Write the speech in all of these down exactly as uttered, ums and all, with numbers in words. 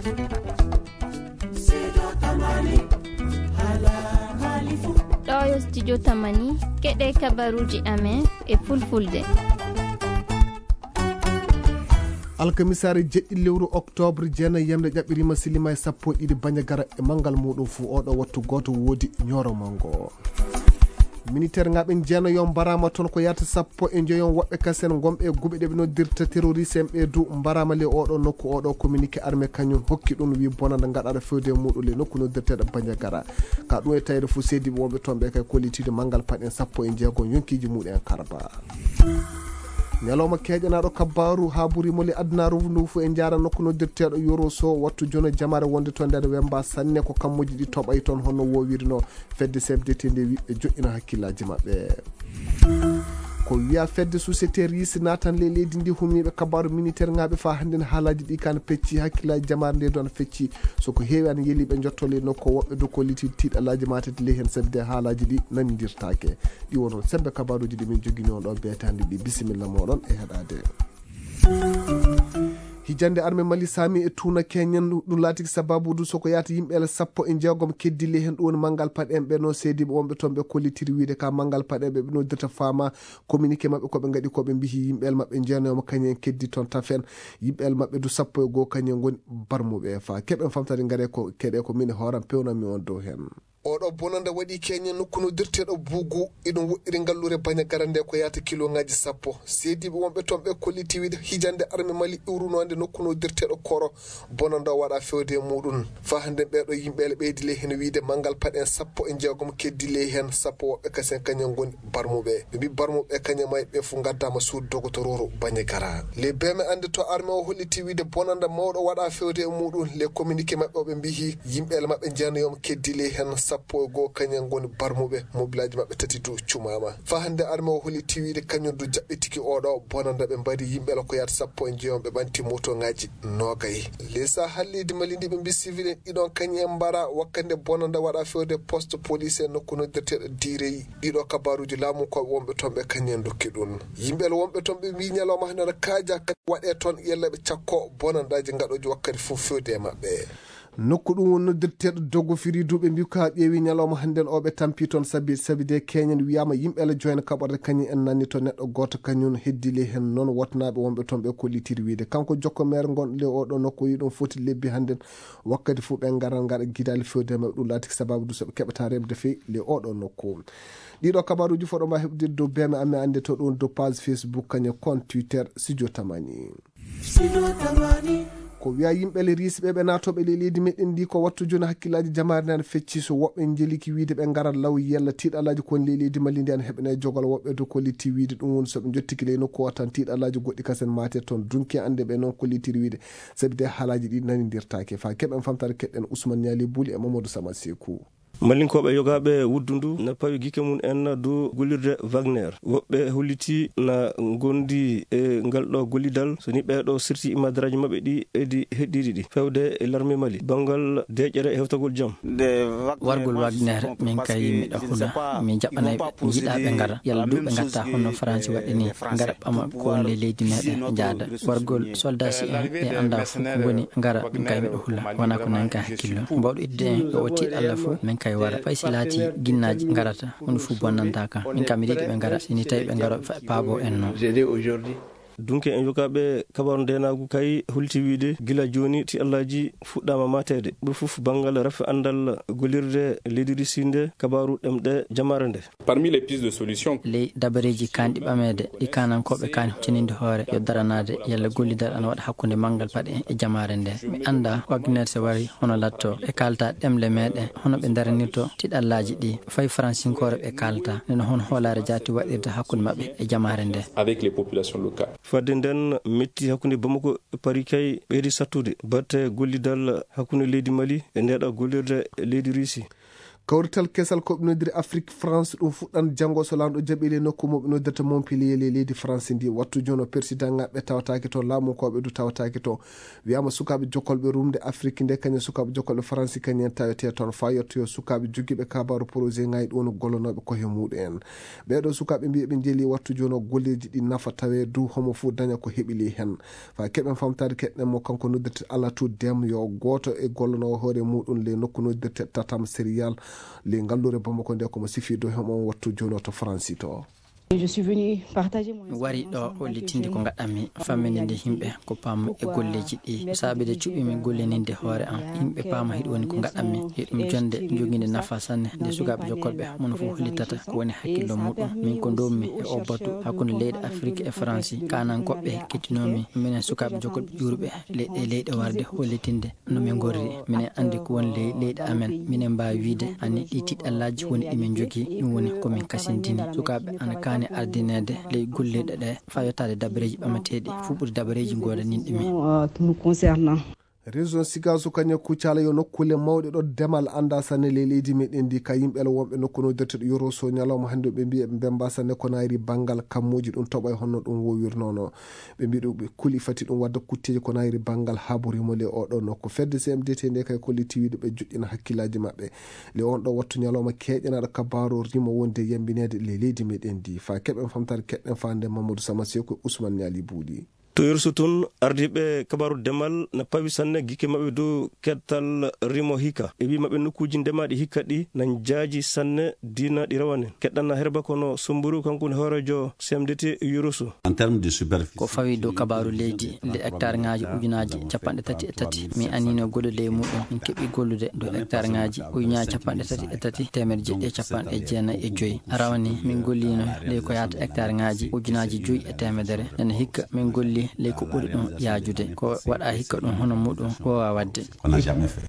Ɗo yo studio Tamani, keɗe kabaruuji amen e fulfulde. Alkamisaare jeɗɗi lewru oktoobre, jeenayi yamde ƴaɓɓiriima, silima e sappo e ɗiɗi Bandiagara e manngal muuɗum fuu. Oɗo wattu gooto woodi ñooro manngo. Militeer ŋaaɓe jeenayo mbaraama toon ko yaata sappo e njoyon woɓɓe kasen ngonɓe e guɓe ɗe ɓe noddirta terroriste en ɓe du mbaraama le oɗo nokku. Oɗo communiqué armée kañum hokki ɗum wi bonanda ngaɗaɗo fewde e muuɗum le nokku noddirteeɗo Bandiagara. Ka ɗum e tawde fof seediiɓe wonɓe toon ɓe kay kollitiiɗo manngal paɗen sappo e jeego yonkiiji muɗum en karba. Ñalawma keeƴanaaɗo kabbaaru haa buri moli adunaaru ndu fof e jaara nokku noddirteeɗo Yoro Sow wattu jono jamaare wonde toon nder wemba sanne ko kammuji ɗi toɓay toon honno wowirno. Fedde C F D T nde wi ɓe joɗɗina hakkillaaji maɓɓe. Ko wiya fedde société ris natan le leydi ndi humniiɓe kabaru militaire ŋaaɓe fa hannden haalaaji ɗi kan pecci hakkillaaji jamaare nde ɗon fecci. So ko heewi an yeli ɓe jotto le nokko woɓɓe du kolliti tiiɗalaaji matati ley heen sabi de haalaaji ɗi nanndirtaake. Ɗi wono sembe kabaruuji ɗi min jogini on ɗo beetaandi ɗi. Bisimilla moɗon e heɗaade. Hijande arme Mali sami e tuuna keñen ɗum laatiki sababu du soko yaata yimɓe sappo e jeegom keddi ley heen ɗum woni manngal paɗen ɓe no seediiɓe wonɓe toon ɓe kollitiri wiide ka manngal paɗen ɓe ɓe noddirta faama communiqué maɓɓe ko ɓe ngaɗi ko ɓe mbihi yimɓe maɓɓe jeenayoma kañen keddi toon tafen yimɓe maɓɓe du sappo e goo kañen ngoni barmuɓe fa keɓen famtade ngare ko keɗe ko min hooram pewnanmi on dow heen. Oɗo bonanda waɗi keñe nokku noddirteeɗo Bugu, iɗum woɗɗiri ngallure Bandiagara nde ko yaata kiloŋaaji sappo. Seediiɓe wonɓe toon ɓe kolliti wiide hijande arme Mali iwrunoonde nokku noddirteeɗo Koro, bonanda o waɗa fewde e muɗum. Fa hannde ɓeeɗo yimɓe ele ɓeydi ley heen wiide manngal paɗen sappo e jeegom keddi ley heen sappo woɓɓe kasen kañen ngoni barmuɓe. Ɓe mbi barmuɓe kañen may ɓe fof ngaddama suudu dogotororu Bandiagara. Le beme annde to arme o holliti wiide bonanda mawɗo waɗa fewde e muɗum. Le communiqué maɓɓe o ɓe mbihi yimɓe ele maɓɓe jeenayoma keddi ley heen sappo e goo kañen ngoni barmuɓe mobilaaji maɓɓe tati du cumaama. Fa hannde arme o holliti wiide kañum du jaɓɓitiki oɗo bonanda ɓe mbari yimɓe ele ko yaata sappo e jeegom ɓe ɓanti motoŋaaji noogay. Le sa hallidi Mali ndi ɓe mbi civil en ɗiɗon kañum en mbara wakkande bonanda waɗa fewde poste police e nokku noddirteeɗo Direyi. Ɗiɗo kabaruuji laamu ko wonɓe toon ɓe kañum en dokki ɗum. Yimɓe ele wonɓe toon ɓe mbi ñalawma hannde no kaaja waɗe toon yalla ɓe cakko bonandaaji ngaɗooji wakkati fof fewde e maɓɓe. Nokku ɗum woni noddirteeɗo dogo firi duuɓe mbi ko haa ƴeewi ñalawma hannden o ɓe tampi toon sabi sabi de keñen wiyama yimɓe ele joyna kaɓorde kañum en nanni to neɗɗo gooto kañum heddi ley heen noon wotnaaɓe wonɓe toon ɓe kollitiri wiide kanko jokko maire ngon le oɗo nokku yi ɗum foti lebbi hannden wakkati fof ɓe ngaran ngaɗa gidaali fewde maɓɓe ɗum laatiki sababu du so ɓe keɓata remde fey le oɗo nokku. Ɗiɗo kabaruuji fof ɗo mbawi heɓdirde dow beme amen annde to ɗum dow page Facebook kañum compte Twitter Studio Tamani. Ko wiya yimɓe le riisi ɓe ɓe naatoɓe ley leydi meɗen ndi ko wattu joni hakkillaaji jamaare nde ana fecci so woɓɓe njeliki wiide ɓe ngarat law yella tiiɗalaaji kon ley leydi Mali ndi ana heɓene jogol woɓɓe to kollitti wiide ɗum woni so ɓe jottiki ley nokku o tan tiiɗalaaji goɗɗi kasen mate toon dunki annde ɓe noon kollitiri wiide sabi de haalaaji ɗi nanindirtaake fa keɓen famtare keɗɗen Ousmane Niali Buli e Mamadou Sama Sekou. Mallinkooɓe yogaaɓe wuddu ndu na pawi gike mum en dow gollirde Wagner. Woɓɓe holliti na ngondi e ngal ɗo gollidal so ni ɓeeɗo sirti imadaraaji maɓɓe ɗi edi heɗɗiɗi ɗi fewde e larme Mali banngal deeƴere e hewtagol jam. Wargol Wagner min kay miɗo huula mi jaɓanay ɓe jiɗa ɓe ngara yalla du ɓe ngatta honno Faransi waɗi ni ngara ɓama ko woni ley leydi meɗen jaada wargol soldat si en ɓe annda fof ko woni ngara ɗum kay miɗo huula wona ko nanka hakkillo mbawɗo idde en ɗo o tiiɗalla fof min kay wara fay si laati ginnaaji ngarata hunde fof bonnanta kan min kam miɗo yiɗi ɓe ngara sini tawi ɓe ngaro paabo en noon. Dunke en yogaaɓe kabaru ndenaagu kay holti wiide gila jooni ti allaaji fuɗɗaama mateede ɓe fof banngal rafi anndal gollirde leydi Russie nde kabaru ɗemɗe jamaare nde. Parmi les pistes de solution. Ley dabareeji kaanɗi ɓameede ɗi kaanankooɓe kaani huccaninde hoore yo daranaade yalla gollidal ana waɗa hakkunde manngal paɗe e jamaare nde mi annda Wagner so wari hono latto ɓe kaalta ɗemle meɗen hono ɓe daranirto tiɗallaaji ɗi fay faransinkoore ɓe kaalta nde no hono hoolaare jaati waɗirta hakkunde maɓɓe e jamaare nde. Avec les populations locales. Fadde nden metti hakkunde Bamako e Paris kay ɓeydi sattude batte gollidal hakkunde leydi Mali e ndeɗo gollirde leydi Russie. Kawrital kesal ko ɓe nodiri Afrique France, ɗum fuɗɗan janngo so laamɗo jaɓi ley nokku mo ɓe noddirta Montpellier ley leydi France ndi. Wattu jooni o persidaŋaaɓe tawataake to, laamunkooɓe du tawataake to. Wiyaama sukaaɓe jokkolɓe rumde Afrique nde, kañum sukaaɓe jokkolɓe France kañum en tawetee toon. Faa yettoyoo sukaaɓe jogiiɓe kabaaru projet ŋaaji ɗum woni gollonooɓe koye muɗum en. Ɓee ɗoo sukaaɓe mbiyi ɓe njeli wattu jooni o golleeji ɗi nafa tawee du homo fuu daña ko heɓi ley heen. Faa keɓen famtaade keɗɗen mo kanko noddirte Alatu Dem yo gooto e gollonoowo hoore muɗum ley nokku noddirte Tatam Serial ley ngalluure Bamako nde ko mo sifi dow heen on wattu jooni o to Faransi to. Je suis venu partager mon Mi wari ɗo expérience en tant que hollitinde ko jeune ngaɗanmi, famminde nde yimɓe ko paam e golleeji ɗi. Ko saabi de cuɓimi gollininde hoore am. Yimɓe paama hiɗo woni ko ngaɗanmi. Hiɗum jonde joginde nafa sanne nde sukaaɓe jokkolɓe mono fof hollitata ko woni hakkillo muɗum. Min ko ndowmi e o batu hakkunde leyɗe Afiriki e Faransi. Kanankoɓɓe kettinoomi minen sukaaɓe jokkolɓe ƴuurɓe leyɗe leyɗe warde hollitinde no min ngorri. Minen anndi ko woni ley leyɗe amen. Minen mbaawi wiide anni ɗi tiɗallaaji woni ɗi min njogii. Ɗum woni ko min kasindini. Sukaaɓe ana kaani ardineede ley golleeɗe ɗe faa yottaade dabareeji ɓamateeɗi, fuɓɓude dabareeji goodaninɗi min. Euh, qui nous concerne. Région Sigaso kañum Kucala yo nokkuule mawɗe ɗo demal annda sanne ley leydi meɗen ndi. Ka yimɓe ala wonɓe nokku noddirteɗo Yoroso ñalawma hannde ɓe mbiya ɓe mbemba sanne ko nayri banngal kammuuji ɗum toɓa e honno ɗum wowirnono. Ɓe mbiɗo ɓe kuli fati ɗum wadda kutteeji ko nayri banngal haburimo le oɗo nokku. Fedde C M D T nde kay kolliti wiide ɓe joƴƴina hakkillaaji maɓɓe. Le on ɗo wattu ñalawma keeƴanaɗo kabaaru rimo wonde yambineede ley leydi meɗen ndi. Faa keɓen famtaade keɗɗen faande Mamadou Sama Seko e Ousmane Niali Buuɗi. To Yoroso toon, ardiiɓe kabaaru demal na pawi sanne gikke maɓɓe dow kettal rimo hikka. E wii maɓɓe nokkuuji ndemaaɗi hikka ɗi na njaaji sanne diina ɗi rawanen. Keɗɗanna Herba kono Somburu, kanko woni hooreejo C M D T Yoroso. En termes de superficie. Ko fawi dow kabaaru leydi, nde hectare ŋaaji ujunaaji capanɗe tati e tati. Min anniino goɗɗo ley muɗum, min keɓi gollude dow hectare ŋaaji ujunaaji capanɗe tati e tati, teemedde jeeɗiɗi e capanɗe jeenayi e joy. Rawani min golliino ley ko yaata hectare ŋaaji ujunaaji joy e teemedere. Nana hikka min golli ley ko ɓuri ɗum yaajude. Ko waɗa hikka ɗum hono muɗum woowa waɗde.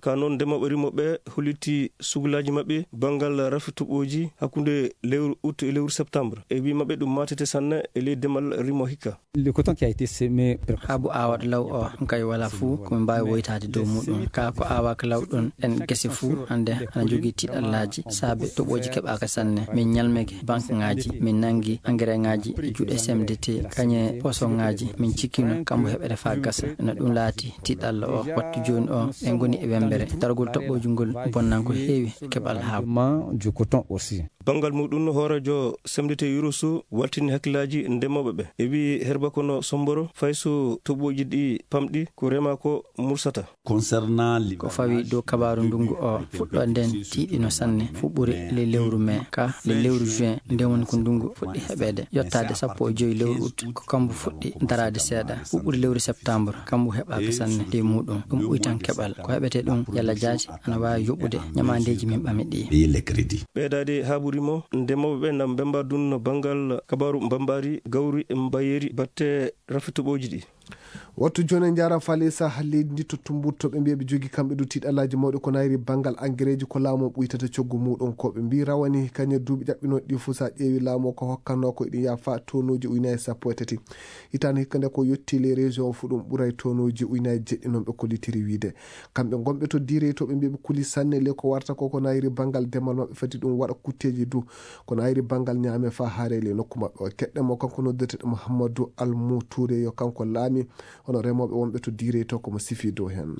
Ka noon ndemooɓe rimooɓe holliti sugulaaji maɓɓe banngal rafi toɓooji hakkunde lewru août e lewru septembre. E wii maɓɓe ɗum maatete sanne e ley demal rimo hikka. Le coton qui a été semé. Habu aawata law o, ɗum kay wala fuu ko min mbaawi woytaade dow muɗum. Kaa ko aawaaka law ɗon, en gese fuu hannde ana jogii tiɗallaaji, saabe toɓooji keɓaaka sanne. Min ñalmeke banque ŋaaji, min nanngi engrais ŋaaji e juuɗe C M D T, kañe poson ŋaaji, min cikkino kambo heɓere faa gasa. No ɗum laati tiɗalla o, wattu jooni o, en ngoni e wembere. Dargol toɓooji ngol bonnan ko heewi keɓal habu. Du coton aussi. Banngal muɗum, hooreejo C M D T Yoroso waltini hakkillaaji ndemooɓe ɓe. E wii Herba kono Somboro, fay so toɓooji ɗi pamɗi, ko rema ko mursata. Concernant. Ko fawi dow kabaaru ndungu o, fuɗɗoode nden tiiɗino sanne, fuɓɓude le lewru mai, ka le lewru juin, nden woni ko ndungu fuɗɗi heɓeede. Yottaade sappo e joy lewru août, ko kambu fuɗɗi daraade seeɗa. Fuɓɓude lewru septembre, kambu heɓaaka sanne de muɗum. Ɗum ɓuytan keɓal. Ko heɓetee ɗum yalla jaati ana waawi yoɓude ñamaandeeji min ɓami ɗi. Payer les crédits. Ɓeydaade haɓuri mo, ndemooɓe ɓe na mbemba dunno banngal kabaaru mbambaari, gawri, mbayeeri, batte rafi toɓooji ɗi. Wattu jooni en njaara faalisa leydi ndi to Tumbutu, to ɓe mbiya ɓe jogii kamɓe du tiiɗallaaji mawɗi ko nayri banngal angereeji ko laamu o ɓuytata coggu muɗum. Ko ɓe mbii rawani kañe duuɓi ɗaɓɓinooɗi ɗi fof, so a ƴeewi laamu o ko hokkannoo ko eɗi yaha faa tonnuuji ujunaaji sappo e tati. Hitaande hikka nde ko yotti ley région o fof ɗum ɓuray tonnuuji ujunaaji jeɗɗi noon ɓe kollitiri wiide. Kamɓe ngonɓe to Diirey to ɓe mbii ɓe kuli sanne ley ko warata ko ko nayri banngal demal maɓɓe fati ɗum waɗa kutteeji du. Kono ayri banngal ñaame faa haare ley nokku maɓɓe o. Keɗɗen mo kanko noddeteɗo Mouhamadou Almou Touré yo kanko laami hono remooɓe wonɓe to Diirey to ko mo sifi dow heen.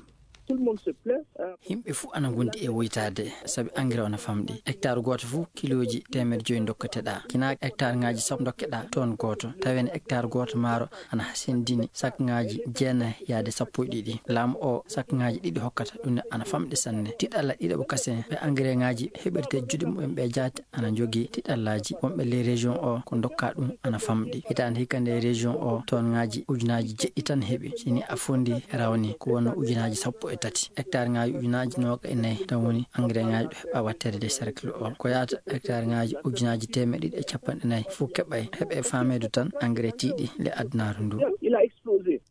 Tout le monde se plaint, hein. Yimɓe fuu ana ngondi e woytaade sabi engrais ona famɗi. Hectare gooto fuu kilooji teemedde joyi ndokketeɗaa. Kinaa hectare ŋaaji sappo ndokkeɗaa toon gooto. Tawen hectare gooto maaro ana hasindini sak ŋaaji jeenayi yaade sappo e ɗiɗi. Laamu o sak ŋaaji ɗiɗi hokkata ɗum ne ana famɗi sanne. Tiɗalla ɗiɗaɓo kasen ɓe engrais ŋaaji heɓirte juuɗe mumen ɓe jaati ana njogii tiɗallaaji wonɓe ley région o ko ndokka ɗum ana famɗi. Hitaande hikka nde région o toon ŋaaji ujunaaji jeɗɗi tan heɓi. Sini a fondi rawni ko wonno ujunaaji sappo e tati. Hectare ŋaaji ujunaaji nooga e nayi tan woni engrais ŋaaji ɗo heɓa watteede nde cercle o. Ko yaata hectare ŋaaji ujunaaji teemeɗɗe ɗiɗi e capanɗe nayi fof keɓay. Heɓe faameedu tan engrais tiiɗi le adunaaru ndu. Il a explosé.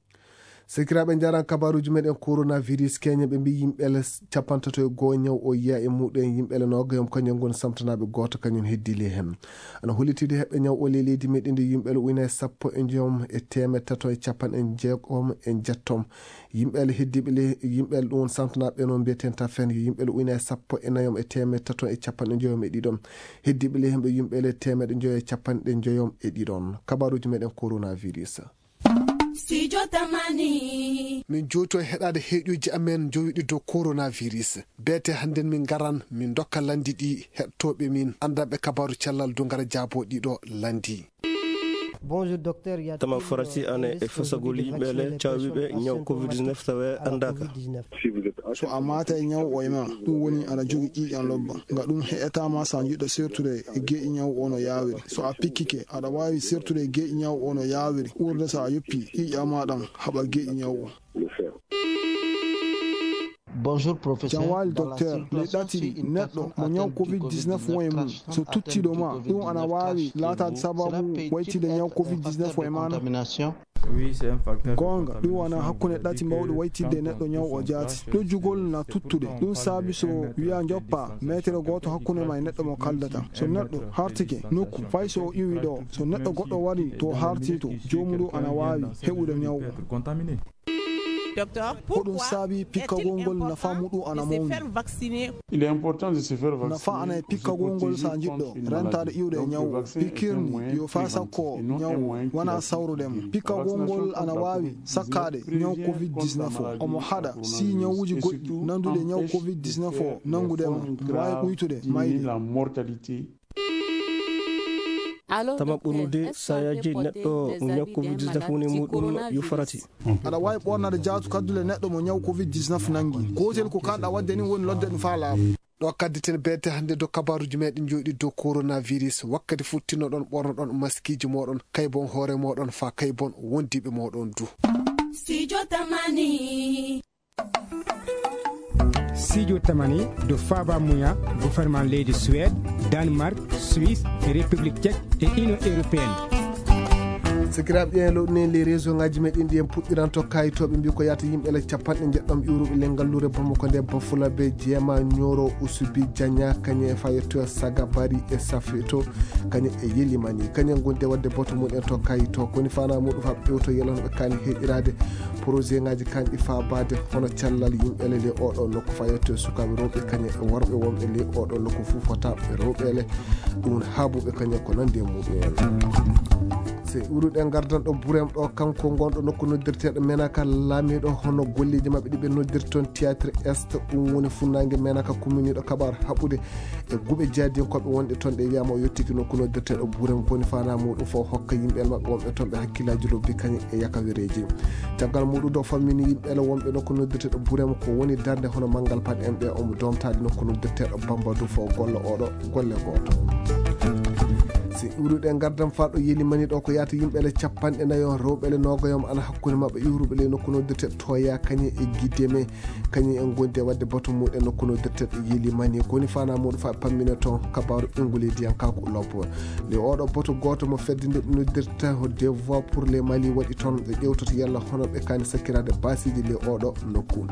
Sekiraaɓe, njaran kabaruuji meɗen coronavirus. Keñe ɓe mbi yimɓe le capantato e goo ñaw o yiya e muɗum, yimɓe le noogayom kañum ngoni samtanaaɓe gooto kañum heddi le hen. Ana hollitide heɓɓe ñaw o le leydi meɗen ndi yimɓe le uyna e sappo e joom e teemeɗɗe tato e capanɗe jeegom e jettom. Yimɓe le heddiiɓe le, yimɓe le ɗum woni samtanaaɓe noon mbiyeten tafen yo yimɓe le uyna e sappo e nayom e teemeɗɗe tato e capanɗe joyom e ɗiɗom. Heddiiɓe le hemɓe yimɓe le teemeɗɗe joyo e capanɗe joyom e ɗiɗon. Kabaruuji meɗen coronavirus. Studio Tamani. Min jooto e heɗaade heeƴuuji amen jowiɗi dow coronavirus. Beete hannden min ngaran, min ndokka lanndi ɗi heɗtooɓe min, anndanɓe kabaaru cellal du ngara jaaboo ɗiɗo lanndi. Bonjour, docteur. Tama farati ane e fasagol yimɓe le caawiɓe ñaw covid dix-neuf tawe anndaaka. So a maata e ñaw o e ma, ɗum woni aɗa jogi ƴiiƴan lobba. Nga ɗum heƴataa ma so a jiɗɗo sertude e geeƴi ñaw o no yaawiri. So a pikkike, aɗa waawi sertude e geeƴi ñaw o no yaawiri. Ɓurde so a yoppi ƴiiƴan ma ɗan haɓa geeƴi ñaw o. Bonjour, professeur. Jam waali, docteur. Ley ɗati ɗi, neɗɗo mo ñaw covid dix-neuf won e mum, so tuttiiɗo ma, ɗum ana waawi laataade sababu waytinde ñaw covid dix-neuf o e ma na? Goonga, ɗum wona hakkunde ɗati mawɗi waytinde e neɗɗo ñaw o jaati. Ɗojjugol na tuttude. Ɗum saabi so wiya njoppa meetere gooto hakkunde ma e neɗɗo mo kaldata. So neɗɗo hartike nokku, fay so o iwi ɗo, so neɗɗo goɗɗo wari to harti to, joomuɗo ana waawi heɓude ñaw o. Ko ɗum saabi pikkagol ngol nafa muɗum ana mawni. Nafa ana e pikkagol ngol so a jiɗɗo rentaade iwde e ñaw o. Pikiir ni yo faa sakko ñaw o, wonaa sawrude mo. Pikkagol ngol ana waawi sakkaade ñaw covid dix-neuf o. Omo haɗa si ñawuuji goɗɗi nannduɗi e ñaw covid dix-neuf o nanngude ma, waawi ɓuytude mayde. Tama ɓurnude saayaaji neɗɗo ñaw covid dix-neuf woni muɗum yo farati. Aɗa waawi ɓoornaade jaatu kaddule neɗɗo mo ñaw covid dix-neuf nanngi. Gootel ko kaɗɗa waɗde ni woni lodde ɗum faa laaɓa. Ɗo kadditen beete hannde dow kabaaruuji meɗen jooɗi dow coronavirus. Wakkati futtinnoɗon ɓornoɗon maskiiji mooɗon, kaybon hoore mooɗon faa kaybon wondiiɓe mooɗon du. Studio Tamani. Studio Tamani ɗo faaba muya gouvernement leydi Suède, Danemark, Suisse, République Tchèque e Union Européenne. Sakiraaɓe, ƴeewen lowɗunen les réseau ngaji meɗen ɗi en puɗɗiranto kayitooɓe mbi ko yahata yimɓe le capanɗe njeɗɗom iwruɓe le ngalluure Bamako nde Bafulabe, Jeema, Ñoro, Usubi, Jaña, kañe e fayetto Sagabari e Safeto, kañe e Yelimani, kañe gonde wadde boto mumen to kayito. Koni fana muɗum fa ɓewto yelano ɓe kani heƴiraade projet ngaji kanɗi faabaade hono cellal yimɓe le le oɗo nokku fayetto e sukaaɓe rewɓe kañe e worɓe wonɓe le oɗo nokku fuu fota ɓe rewɓe le. Ɗum woni haabuɓe kañum ko nandi e muɗum en. Se iwruɗen gardan ɗo Burem ɗo, kanko gonɗo nokku noddirteɗo Menaka laamiɗo hono golleji maɓɓe ɗi ɓe noddirta toon Théâtre Est, ɗum woni funnaange Menaka, kumminiɗo kaɓaaru haɓɓude e guɓe jaadiyankooɓe wonɗe toon ɗe wiyama o yettiki nokku noddirteɗo Burem, koni fana muɗum fof hokka yimɓe maɓɓe wonɓe toon ɓe hakkillaaji lobbi kañum e yakawireeji. Caggal muɗum ɗo fammini yimɓe le wonɓe nokku noddirteɗo Burem ko woni darnde hono manngal paɗe en ɓe omo domtaade nokku noddirteɗo Bamba du fof golla oɗo golle gooto. Si iwruɗen gardan faa ɗo Yelimani ɗo ko yahata yimɓe le capanɗe nayo rewɓe le noogayom ana hakkunde maɓɓe iwruɓe le nokku noddirteɗo Toya kañum e Gideme. Kañum en gondi e wadde boto muɗum nokku noddirteɗo Yelimani, koni fana muɗum fa pammina toon kabaaru Ingulediyankaaku lobbo. Nde oɗo boto gooto mo fedde nde noddirta ko Des Voix pour le Mali waɗi toon, ɓe ƴewtoto yalla hono ɓe kani sakkiraade baasiiji le oɗo nokku.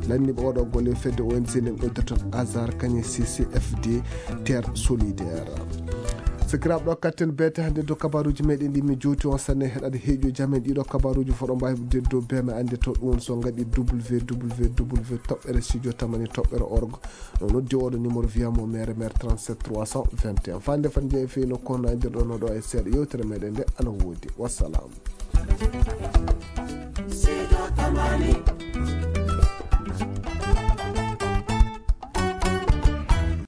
Lanniɓe oɗo golle fedde O N G nde noddirta Azar kañum C C F D Terre Solidaire. Sakiraaɓe, ɗo katten beete hannde dow kabaruuji meɗen ɗi mi jowti on sanne heɗade heeƴo jamen ɗiɗo kabaruuji foɗo mbawi heddude dow be me annde to ɗum so ngaɗi W W W toɓɓere studio tamani toɓɓere org. No noddi oɗo numéro wiyamo mere mere trente-sept trois cent vingt et un. Fande fan jeeyi feyno kono andirɗo no ɗo e seeɗa yewtere meɗen nde ana woodi. Wassalam.